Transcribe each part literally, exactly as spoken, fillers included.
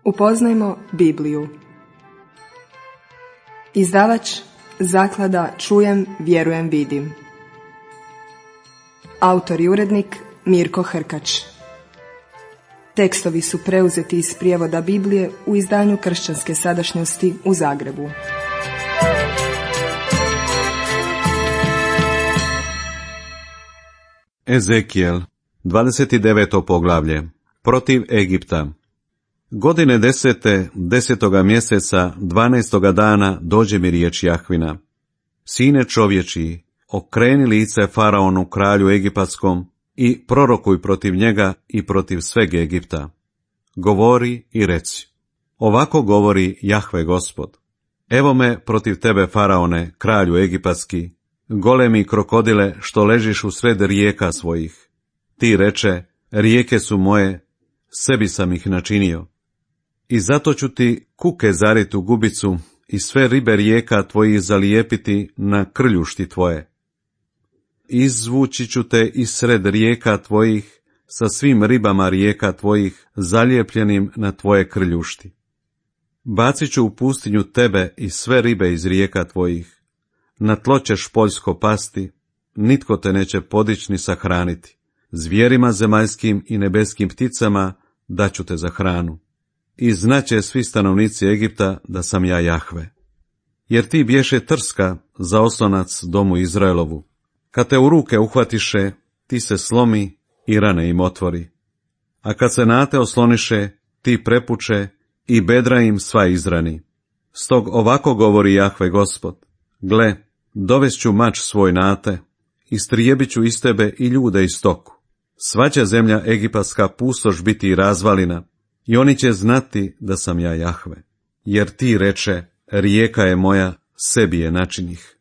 Upoznajmo Bibliju. Izdavač Zaklada Čujem, vjerujem, vidim. Autor i urednik Mirko Hrkač. Tekstovi su preuzeti iz prijevoda Biblije u izdanju Kršćanske sadašnjosti u Zagrebu. Ezekijel, dvadeset deveto poglavlje. Protiv Egipta. Godine desete, desetoga mjeseca, dvanaestoga dana, dođe mi riječ Jahvina. Sine čovječiji, okreni lice faraonu, kralju egipatskom, i prorokuj protiv njega i protiv sveg Egipta. Govori i reci. Ovako govori Jahve Gospod. Evo me protiv tebe, faraone, kralju egipatski, golemi krokodile što ležiš u sred rijeka svojih. Ti reče, rijeke su moje, sebi sam ih načinio. I zato ću ti kuke zarit u gubicu i sve ribe rijeka tvojih zalijepiti na krljušti tvoje. Izvući ću te iz sred rijeka tvojih sa svim ribama rijeka tvojih zalijepljenim na tvoje krljušti. Bacit ću u pustinju tebe i sve ribe iz rijeka tvojih. Na tlo ćeš poljsko pasti, nitko te neće podići ni sahraniti. Zvijerima zemaljskim i nebeskim pticama daću te za hranu. I znaće svi stanovnici Egipta da sam ja Jahve. Jer ti bješe trska za oslonac domu Izraelovu. Kad te u ruke uhvatiše, ti se slomi i rane im otvori. A kad se na te osloniše, ti prepuče i bedra im sva izrani. Stog ovako govori Jahve Gospod. Gle, dovest ću mač svoj na te, istrijebit ću iz tebe i ljude i stoku. Sva će zemlja egipatska pustoš biti i razvalina, i oni će znati da sam ja Jahve. Jer ti reče, rijeka je moja, sebi je načinih.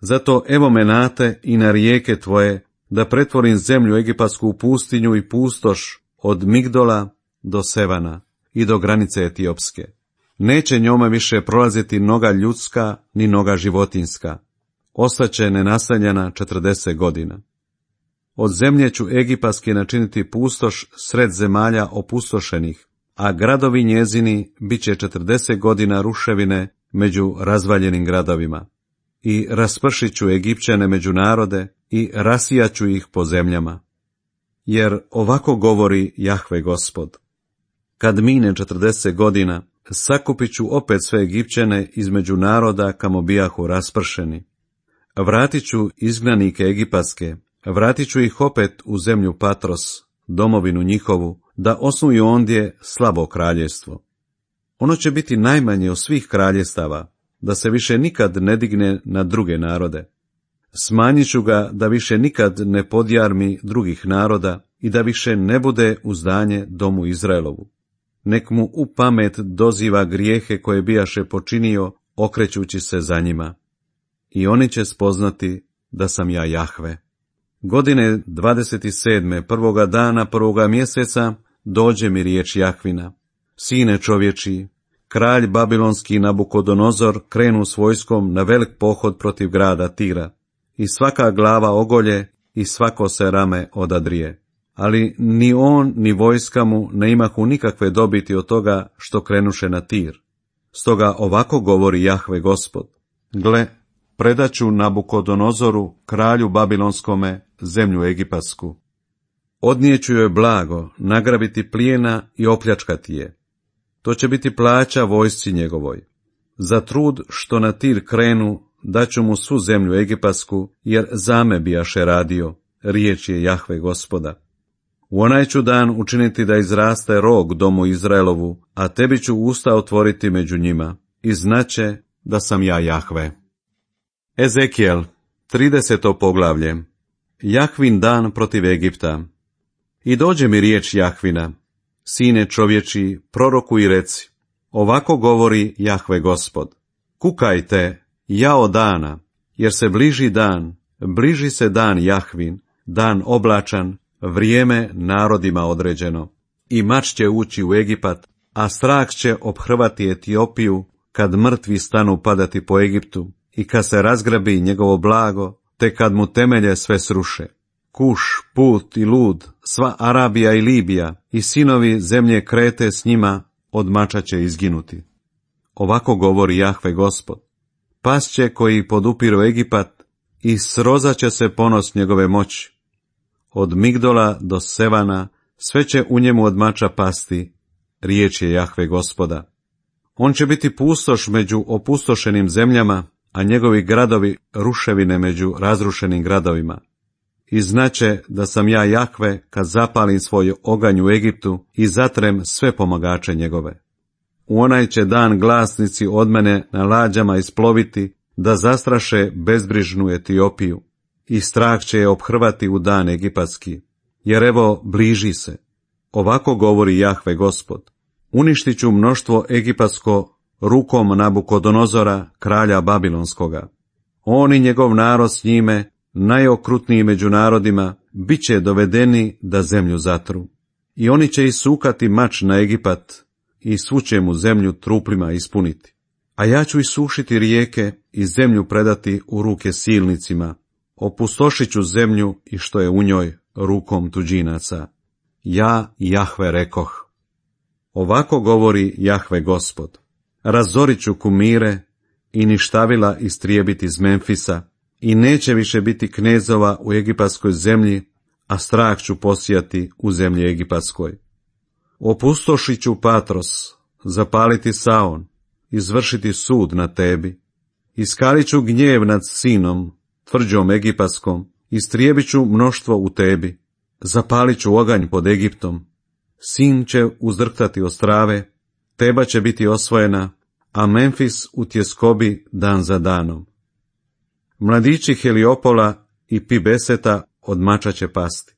Zato evo me na te i na rijeke tvoje, da pretvorim zemlju egipatsku u pustinju i pustoš od Migdola do Sevana i do granice Etiopske. Neće njome više prolaziti noga ljudska ni noga životinska. Ostaće nenaseljena četrdeset godina. Od zemlje ću egipatski načiniti pustoš sred zemalja opustošenih, a gradovi njezini bit će četrdeset godina ruševine među razvaljenim gradovima. I raspršit ću Egipćane među narode i rasijat ću ih po zemljama. Jer ovako govori Jahve Gospod. Kad mine četrdeset godina, sakupit ću opet sve Egipćane između naroda kamo bijahu raspršeni. Vratit ću izgnanike egipatske, vratit ću ih opet u zemlju Patros, domovinu njihovu, da osnuju ondje slabo kraljevstvo. Ono će biti najmanje od svih kraljestava, da se više nikad ne digne na druge narode. Smanjit ću ga da više nikad ne podjarmi drugih naroda i da više ne bude uzdanje domu Izraelovu. Nek mu u pamet doziva grijehe koje bijaše počinio, okrećući se za njima. I oni će spoznati da sam ja Jahve. Godine dvadeset sedme, prvoga dana prvoga mjeseca, dođe mi riječ Jahvina. Sine čovječiji, kralj babilonski Nabukodonozor krenu s vojskom na velik pohod protiv grada Tira. I svaka glava ogolje i svako se rame odadrije. Ali ni on ni vojska mu ne imahu nikakve dobiti od toga što krenuše na Tir. Stoga ovako govori Jahve Gospod. Gle, predaću Nabukodonozoru, kralju babilonskome, zemlju egipatsku. Odnijeću joj blago, nagrabiti plijena i opljačkati je. To će biti plaća vojsci njegovoj. Za trud što na Tir krenu, daću mu svu zemlju egipatsku, jer zame bijaše radio, riječ je Jahve Gospoda. U onaj ću dan učiniti da izraste rog domu Izraelovu, a tebi ću usta otvoriti među njima, i znaće da sam ja Jahve. Ezekijel, trideseto poglavlje. Jahvin dan protiv Egipta. I dođe mi riječ Jahvina. Sine čovječi, prorokuj i reci. Ovako govori Jahve Gospod. Kukajte, jao dana, jer se bliži dan, bliži se dan Jahvin, dan oblačan, vrijeme narodima određeno. I mač će ući u Egipat, a strah će ophrvati Etiopiju, kad mrtvi stanu padati po Egiptu, i kad se razgrabi njegovo blago, te kad mu temelje sve sruše. Kuš, Put i Lud, sva Arabija i Libija, i sinovi zemlje Krete s njima, od mača će izginuti. Ovako govori Jahve Gospod. Pasće koji podupiru Egipat i srozat će se ponos njegove moći. Od Migdola do Sevana sve će u njemu od mača pasti, riječ je Jahve Gospoda. On će biti pustoš među opustošenim zemljama, a njegovi gradovi ruševine među razrušenim gradovima. I znaće da sam ja Jahve kad zapalim svoj oganj u Egiptu i zatrem sve pomagače njegove. U onaj će dan glasnici od mene na lađama isploviti da zastraše bezbrižnu Etiopiju i strah će je ophrvati u dan egipatski, jer evo bliži se. Ovako govori Jahve Gospod. Uništit ću mnoštvo egipatsko rukom Nabukodonozora, kralja Babilonskoga. On i njegov narod s njime, najokrutniji među narodima, bit će dovedeni da zemlju zatru. I oni će isukati mač na Egipat i svu će mu zemlju truplima ispuniti. A ja ću isušiti rijeke i zemlju predati u ruke silnicima. Opustošit ću zemlju i što je u njoj rukom tuđinaca. Ja, Jahve, rekoh. Ovako govori Jahve Gospod. Razorit ću kumire i ništavila istrijebiti iz Memfisa i neće više biti knezova u egipatskoj zemlji, a strah ću posijati u zemlji egipatskoj. Opustošit ću Patros, zapaliti Saon, izvršiti sud na tebi. Iskalit ću gnjev nad Sinom, tvrđom egipatskom, istrijebit ću mnoštvo u tebi. Zapalit ću oganj pod Egiptom. Sin će uzdrhtati ostrave, Teba će biti osvojena, a Memfis u tjeskobi dan za danom. Mladići Heliopola i Pibeseta od mača će pasti,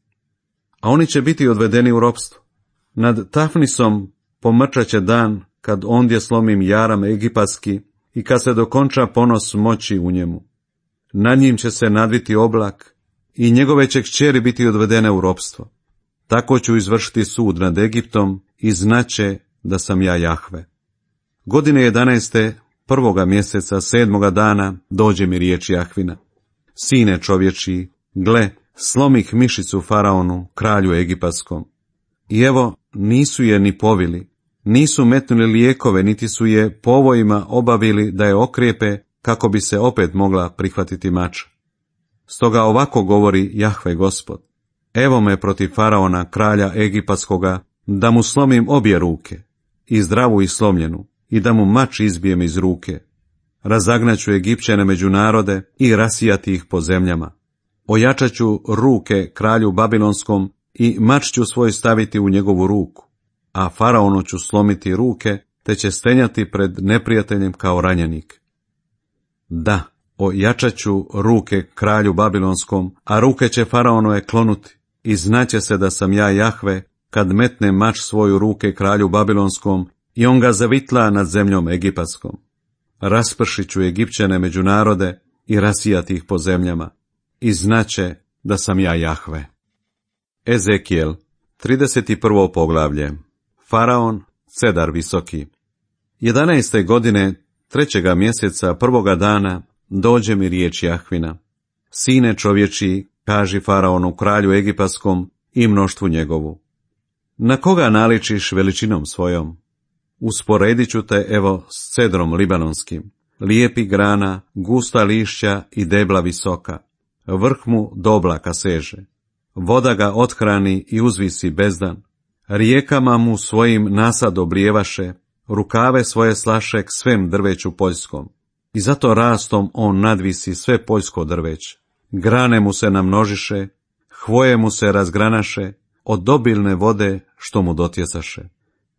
a oni će biti odvedeni u ropstvo. Nad Tafnisom pomrčaće dan, kad ondje slomim jaram egipatski i kad se dokonča ponos moći u njemu. Nad njim će se nadviti oblak i njegove će kćeri biti odvedene u ropstvo. Tako ću izvršiti sud nad Egiptom i znaće da sam ja Jahve. Godine jedanaeste, prvoga mjeseca, sedmoga dana, dođe mi riječ Jahvina. Sine čovječi, gle, slomih mišicu faraonu, kralju egipatskom. I evo, nisu je ni povili, nisu metnuli lijekove, niti su je povojima obavili da je okrijepe, kako bi se opet mogla prihvatiti mača. Stoga ovako govori Jahve Gospod. Evo me protiv faraona, kralja egipatskoga, da mu slomim obje ruke, i zdravu i slomljenu, i da mu mač izbijem iz ruke. Razagnaću Egipćane među narode i rasijati ih po zemljama. Ojačaću ruke kralju Babilonskom i mač ću svoj staviti u njegovu ruku, a faraonu ću slomiti ruke, te će stenjati pred neprijateljem kao ranjenik. Da, ojačaću ruke kralju Babilonskom, a ruke će faraonove klonuti, i znaće se da sam ja Jahve, kad metne mač svoju ruke kralju Babilonskom i on ga zavitla nad zemljom egipatskom. Raspršit ću Egipćane među narode i rasijati ih po zemljama, i znaće da sam ja Jahve. Ezekijel, trideset prvo poglavlje. Faraon, cedar visoki. Jedanaeste godine, trećega mjeseca, prvoga dana, dođe mi riječ Jahvina. Sine čovječi, kaži faraonu, kralju egipatskom i mnoštvu njegovu. Na koga naličiš veličinom svojom? Usporedit ću te, evo, s cedrom libanonskim, lijepi grana, gusta lišća i debla visoka. Vrh mu do oblaka seže. Voda ga othrani i uzvisi bezdan. Rijekama mu svojim nasad oblijevaše, rukave svoje slaše k svem drveću poljskom. I zato rastom on nadvisi sve poljsko drveće. Grane mu se namnožiše, hvoje mu se razgranaše, od obilne vode što mu dotjecaše.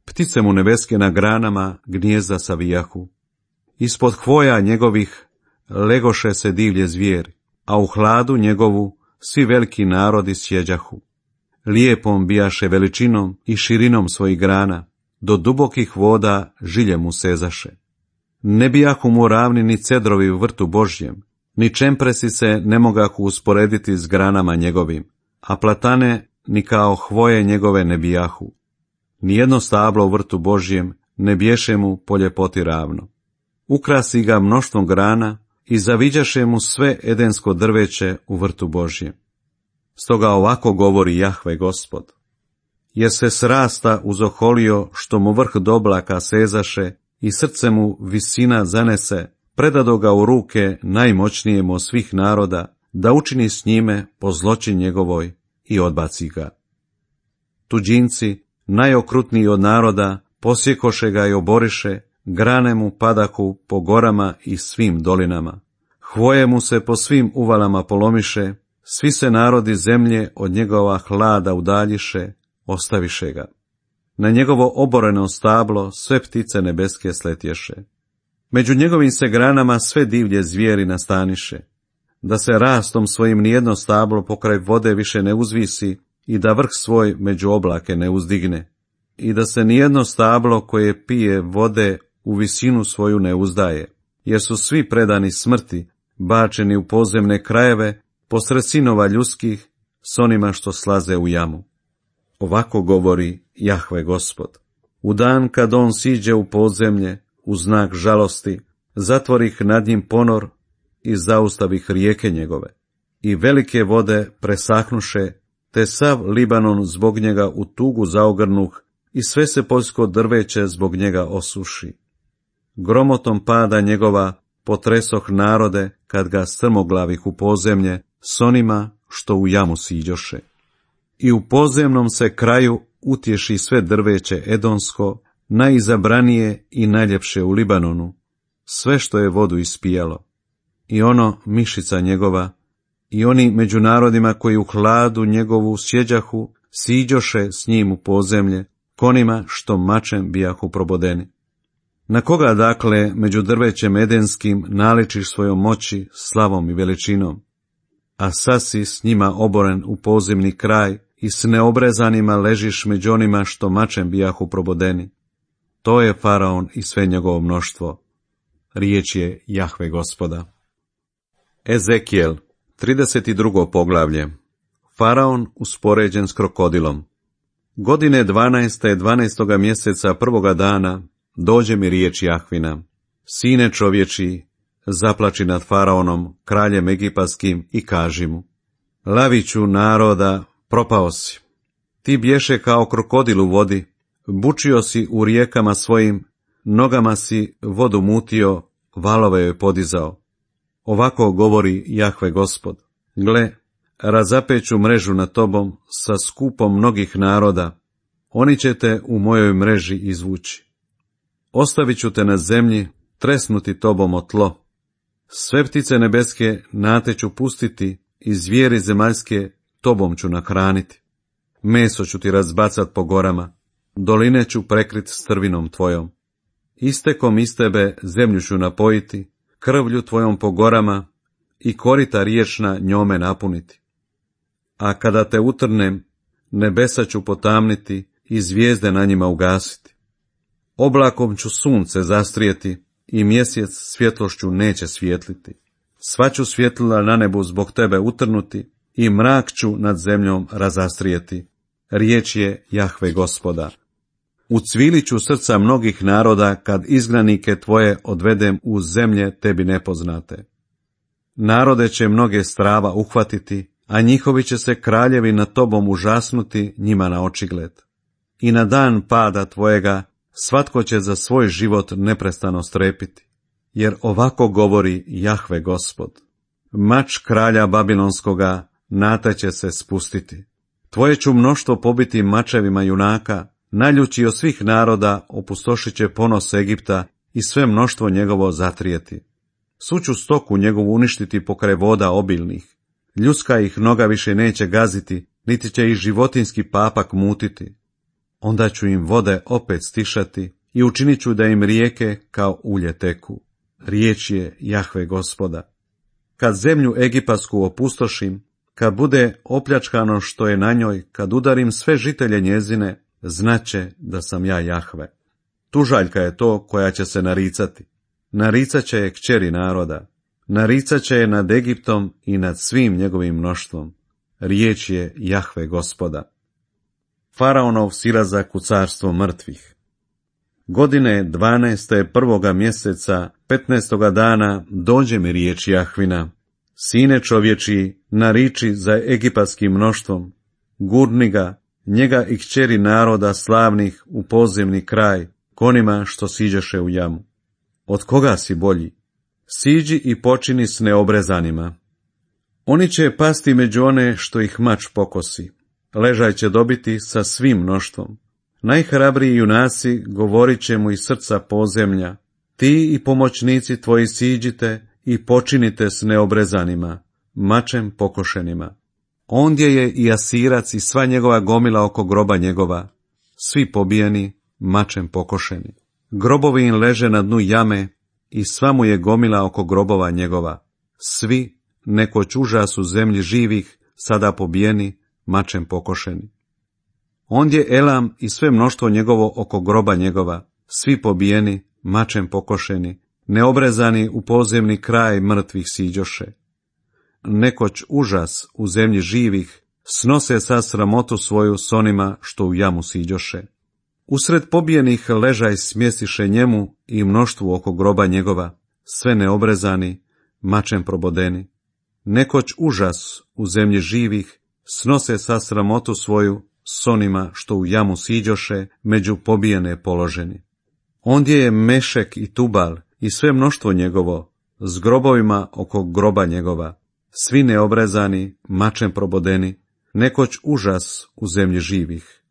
Ptice mu nebeske na granama gnijezda savijahu. Ispod hvoja njegovih legoše se divlje zvijeri, a u hladu njegovu svi veliki narodi sjeđahu. Lijepom bijaše veličinom i širinom svojih grana, do dubokih voda žilje mu sezaše. Ne bijahu mu ravni ni cedrovi u vrtu Božjem, ni čempresi se ne mogahu usporediti s granama njegovim, a platane ni kao hvoje njegove ne bijahu. Nijedno stablo u vrtu Božjem ne biješe mu po ljepoti ravno. Ukrasi ga mnoštvom grana i zaviđaše mu sve edensko drveće u vrtu Božjem. Stoga ovako govori Jahve Gospod. jer se srasta uzoholio što mu vrh do oblaka sezaše i srce mu visina zanese, predado ga u ruke najmoćnijemu od svih naroda, da učini s njime po zločin njegovoj i odbaci ga. Tuđinci, najokrutniji od naroda, posjekoše ga i oboriše, grane mu padahu po gorama i svim dolinama. Hvoje mu se po svim uvalama polomiše, svi se narodi zemlje od njegova hlada udaljiše, ostaviše ga. Na njegovo oboreno stablo sve ptice nebeske sletješe. Među njegovim se granama sve divlje zvijeri nastaniše, da se rastom svojim nijedno stablo pokraj vode više ne uzvisi i da vrh svoj među oblake ne uzdigne, i da se nijedno stablo koje pije vode u visinu svoju ne uzdaje, jer su svi predani smrti, bačeni u podzemne krajeve, posred sinova ljudskih, s onima što slaze u jamu. Ovako govori Jahve Gospod. U dan kad on siđe u podzemlje, u znak žalosti, zatvorih nad njim ponor i zaustavih rijeke njegove. I velike vode presahnuše, te sav Libanon zbog njega u tugu zaogrnuh, i sve se poljsko drveće zbog njega osuši. Gromotom pada njegova potresoh narode, kad ga strmoglavih u podzemlje, s onima što u jamu siđoše. I u podzemnom se kraju utješi sve drveće edonsko, najizabranije i najljepše u Libanonu, sve što je vodu ispijalo. I ono mišica njegova, i oni među narodima koji u hladu njegovu sjeđahu, siđoše s njim u podzemlje, konima što mačem bijahu probodeni. Na koga dakle među drvećem edenskim naličiš svojom moći, slavom i veličinom? A sad si s njima oboren u podzemni kraj i s neobrezanima ležiš među onima što mačem bijahu probodeni. To je faraon i sve njegovo mnoštvo. Riječ je Jahve Gospoda. Ezekijel, trideset drugo poglavlje. Faraon uspoređen s krokodilom. Godine dvanaeste, dvanaestoga mjeseca prvoga dana, dođe mi riječ Jahvina. Sine čovječi, zaplači nad faraonom, kraljem egipatskim, i kaži mu: Laviću naroda, propao si. Ti bješe kao krokodil u vodi, bučio si u rijekama svojim, nogama si vodu mutio, valove joj podizao. Ovako govori Jahve Gospod. Gle, razapeću mrežu nad tobom sa skupom mnogih naroda, oni će te u mojoj mreži izvući. Ostavit ću te na zemlji, tresnuti tobom o tlo. Sve ptice nebeske na te ću pustiti i zvijeri zemaljske tobom ću nahraniti. Meso ću ti razbacat po gorama, doline ću prekrit strvinom tvojom. Istekom iz tebe zemlju ću napojiti, krvlju tvojom po gorama i korita riječna njome napuniti. A kada te utrnem, nebesa ću potamniti i zvijezde na njima ugasiti. Oblakom ću sunce zastrijeti i mjesec svjetlošću neće svijetliti. Sva ću svjetlila na nebu zbog tebe utrnuti i mrak ću nad zemljom razastrijeti. Riječ je Jahve Gospoda. Ucvilit ću srca mnogih naroda kad izgnanike tvoje odvedem u zemlje tebi nepoznate. Narode će mnoge strava uhvatiti, a njihovi će se kraljevi nad tobom užasnuti njima na očigled. I na dan pada tvojega svatko će za svoj život neprestano strepiti, jer ovako govori Jahve Gospod. Mač kralja Babilonskoga na te će se spustiti. Tvoje ću mnoštvo pobiti mačevima junaka, naljući od svih naroda opustošit će ponos Egipta i sve mnoštvo njegovo zatrijeti. Svu ću stoku njegovu uništiti pokraj voda obilnih. Ljudska ih noga više neće gaziti, niti će ih životinski papak mutiti. Onda ću im vode opet stišati i učinit ću da im rijeke kao ulje teku. Riječ je Jahve Gospoda. Kad zemlju egipatsku opustošim, kad bude opljačkano što je na njoj, kad udarim sve žitelje njezine, znaće da sam ja Jahve. Tužaljka je to koja će se naricati. Naricat će je kćeri naroda. Naricat će je nad Egiptom i nad svim njegovim mnoštvom. Riječ je Jahve Gospoda. Faraonov silazak u carstvo mrtvih. Godine dvanaeste prvoga mjeseca, petnaestoga dana, dođe mi riječ Jahvina. Sine čovječi, nariči za egipatskim mnoštvom, gurni ga, njega i kćeri naroda slavnih u podzemni kraj, konima što siđoše u jamu. Od koga si bolji? Siđi i počini s neobrezanima. Oni će pasti među one što ih mač pokosi. Ležaj će dobiti sa svim mnoštvom. Najhrabriji junaci govorit će mu iz srca podzemlja. Ti i pomoćnici tvoji siđite i počinite s neobrezanima, mačem pokošenima. Ondje je i Asirac i sva njegova gomila oko groba njegova, svi pobijeni, mačem pokošeni. Grobovi im leže na dnu jame i sva mu je gomila oko grobova njegova. Svi, nekoć užas u zemlji živih, sada pobijeni, mačem pokošeni. Ondje Elam i sve mnoštvo njegovo oko groba njegova, svi pobijeni, mačem pokošeni, neobrezani u podzemni kraj mrtvih siđoše. Nekoć užas u zemlji živih, snose sa sramotu svoju s onima što u jamu siđoše. Usred pobijenih ležaj smjestiše njemu i mnoštvu oko groba njegova, sve neobrezani, mačem probodeni. Nekoć užas u zemlji živih, snose sa sramotu svoju s onima što u jamu siđoše, među pobijene položeni. Ondje je Mešek i Tubal i sve mnoštvo njegovo, s grobovima oko groba njegova, svi neobrezani, mačem probodeni, nekoć užas u zemlji živih.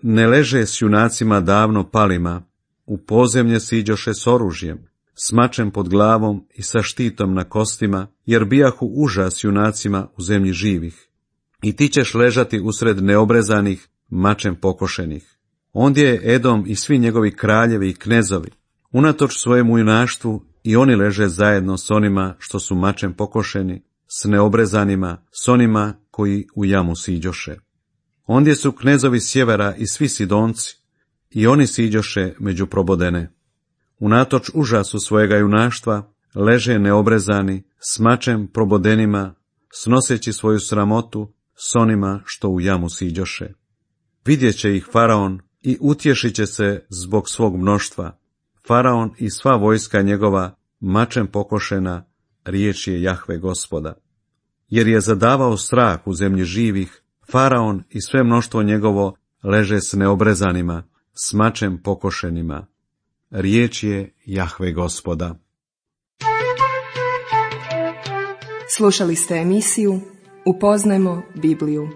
Ne leže s junacima davno palima, u podzemlje siđoše s oružjem, s mačem pod glavom i sa štitom na kostima, jer bijahu užas junacima u zemlji živih. I ti ćeš ležati usred neobrezanih, mačem pokošenih. Ondje je Edom i svi njegovi kraljevi i knezovi. Unatoč svojemu junaštvu i oni leže zajedno s onima što su mačem pokošeni, s neobrezanima, s onima koji u jamu siđoše. Ondje su knezovi sjevera i svi Sidonci, i oni siđoše među probodene. Unatoč užasu svojega junaštva, leže neobrezani, s mačem probodenima, snoseći svoju sramotu, s onima što u jamu siđoše. Vidjet će ih Faraon i utješit će se zbog svog mnoštva. Faraon i sva vojska njegova, mačem pokošena, riječ je Jahve Gospoda. Jer je zadavao strah u zemlji živih, Faraon i sve mnoštvo njegovo leže s neobrezanima, s mačem pokošenima. Riječ je Jahve Gospoda. Slušali ste emisiju Upoznajmo Bibliju.